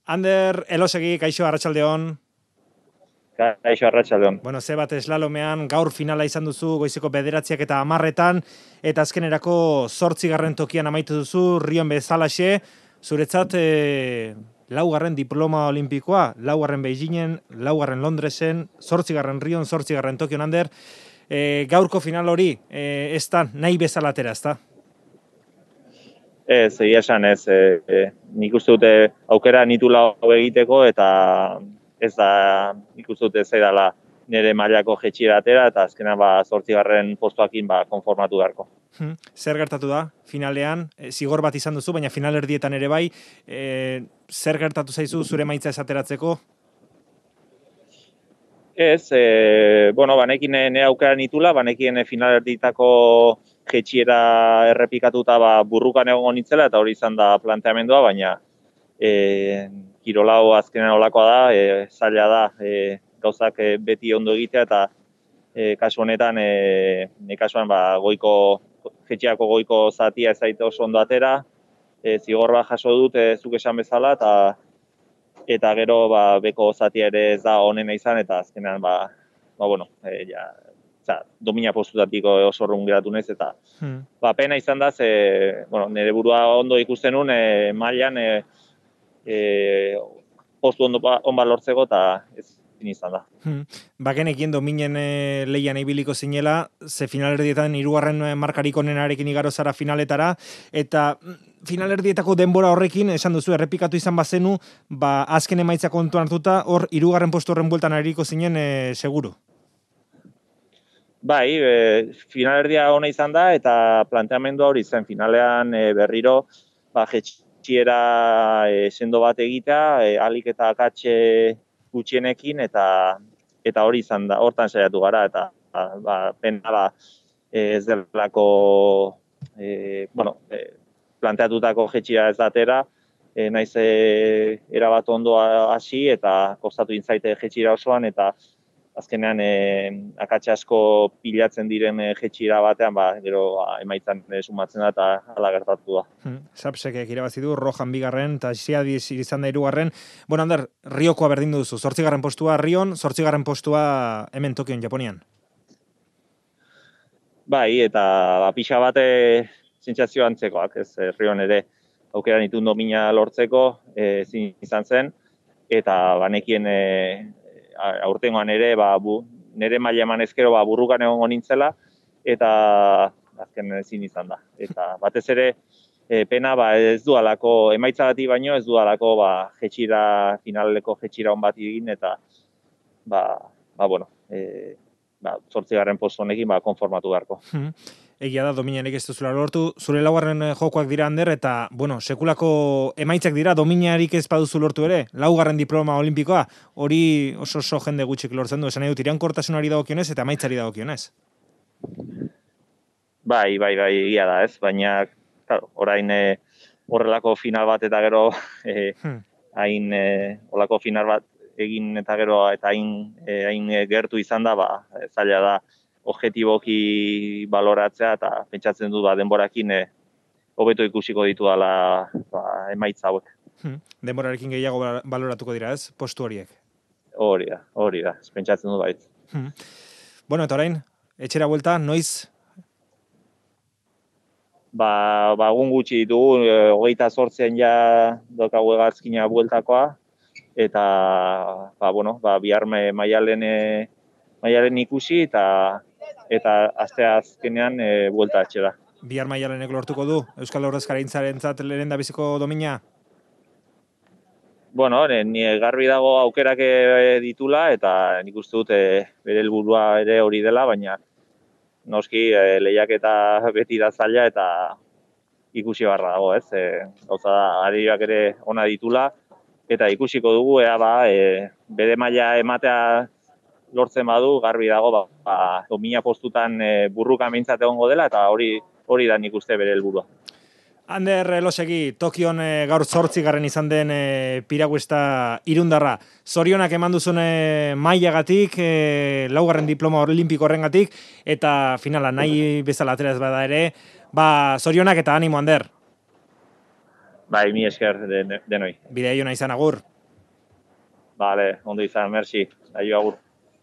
Ander, Elosegi, kaixo, arratsaldeon. Kaixo, arratsaldeon. Bueno, ze bat eslalomean gaur finala izan duzu goizeko 9 eta 10 eta azkenerako 8. tokian amaitu duzu, Rion bezalaxe, zuretzat laugarren diploma olimpikoa, laugarren Beijingen, laugarren Londresen, 8. Rion, 8. Tokion, Ander, gaurko final hori, ez da, nahi bezala atera, ez da? Ez, egia esan ez, nik uste dute aukera nitula hau egiteko eta ez da, nik uste dute zaidala nire mailako jetxiera atera eta azkenan 8. postuakin konformatu beharko. Zer gertatu da finalean? Zigor bat izan duzu, baina finalerdietan ere bai, zer gertatu zaizu zure maitza esateratzeko? Ez, banekin nire aukera nitula, banekien finalerditako jetxiera errepikatuta burrukan egongo nitzela eta hori izan da planteamendua, baina kirolau azkenean olakoa da, zaila da, gauzak beti ondo egitea eta kasu honetan, kasuan goiko jetxiako goiko zatia ez zaite oso ondo atera, zigor bat jaso dut zuk esan bezala eta gero beko zatia ere ez da onena izan eta azkenean domina postutatiko oso orrun geratu naiz eta pena izan da nire burua ondo ikusten nun mailan postu on lortzeko eta ez izan da. Bagenekien dominen lehian ibiliko zinela, ze finalerdietan 3. markarik onenarekin igaro zara finaletara, eta finalerdietako denbora horrekin, esan duzu, errepikatu izan bazenu, azken emaitza kontuan hartuta, hor 3. postu horren bueltan ariko zinen seguru. Bai, finalerdia ona izan da, eta planteamendua hori zen finalean berriro, jetxiera sendo bat egitea, alik eta akatxe gutxienekin eta hori izan da, hortan saiatu gara eta pena ez delako planteatutako jetxia ez datera, naiz erabat ondo hasi eta kostatu intzaite jetxira osoan eta azkenean akatxe asko pilatzen diren jetxira batean, gero emaitzan sumatzen da eta hala gertatu da. Sapsekek irabazi du, Rojan 2. eta Xiadiz izan da 3. Bueno, Ander, Riokoa berdindu duzu, 8. postua Rion, 8. postua hemen Tokion, Japonian. Bai, eta pixa bate sentsazio antzekoak, ez Rion ere aukera nituen domina lortzeko izan zen, eta banekien aurtengoan ere, nire maila eman ezkero burrukan egongo nintzela, eta azken ezin izan da. Eta batez ere, pena ez du alako, emaitzagatik baino ez du alako jetxira, finaleko jetxira on bat egin, eta 8. postu honekin konformatu beharko. Egia da, dominarik ez duzula lortu, zure laugarren jokoak dira, Ander, eta, sekulako emaitzak dira, dominarik ez baduzu lortu ere, laugarren diploma olimpikoa, hori oso jende gutxik lortzen du, esan nahi dut, iraunkortasunari dagokionez eta emaitzari dagokionez. Bai, egia da, ez, baina, claro, orain horrelako final bat eta gero, hain horrelako final bat egin eta gero, eta hain gertu izan da, zaila da, objetiboki baloratzea eta pentsatzen dut denborakin hobeto ikusiko ditu dela emaitza hauek. Denborarekin gehiago baloratuko dira, ez? Postu horiek. Hori da, pentsatzen dut bait. Bueno, eta orain, etxera buelta, noiz? Egun gutxi ditugu, 28 ja daukagu hegazkina bueltakoa, eta bihar maialen ikusi eta aste azkenean buelta etxera. Bihar maialenek lortuko du Euskal Ordezkaritzarentzat lehen da biziko domina? Ni garbi dago aukerak ditula eta nik uste dut bere helburua ere hori dela, baina noski lehiaketa beti da zaila eta ikusi barra dago, ez? Gauza da, arioak ere ona ditula eta ikusiko dugu bere maila ematea lortzen badu, garbi dago, domina postutan burruka mintzat egongo dela, eta hori da nik uste bere helburua. Ander Elosegi, Tokion gaur 8. izan den piraguesta irundarra. Zorionak eman duzun mailagatik, 4. diploma olimpiko horrengatik, eta finala nahi bezala atera ez bada ere, zorionak eta animo, Ander. Bai, mi esker denoi. Bidea izan, agur. Bale, ondo izan, merci. Aio, agur.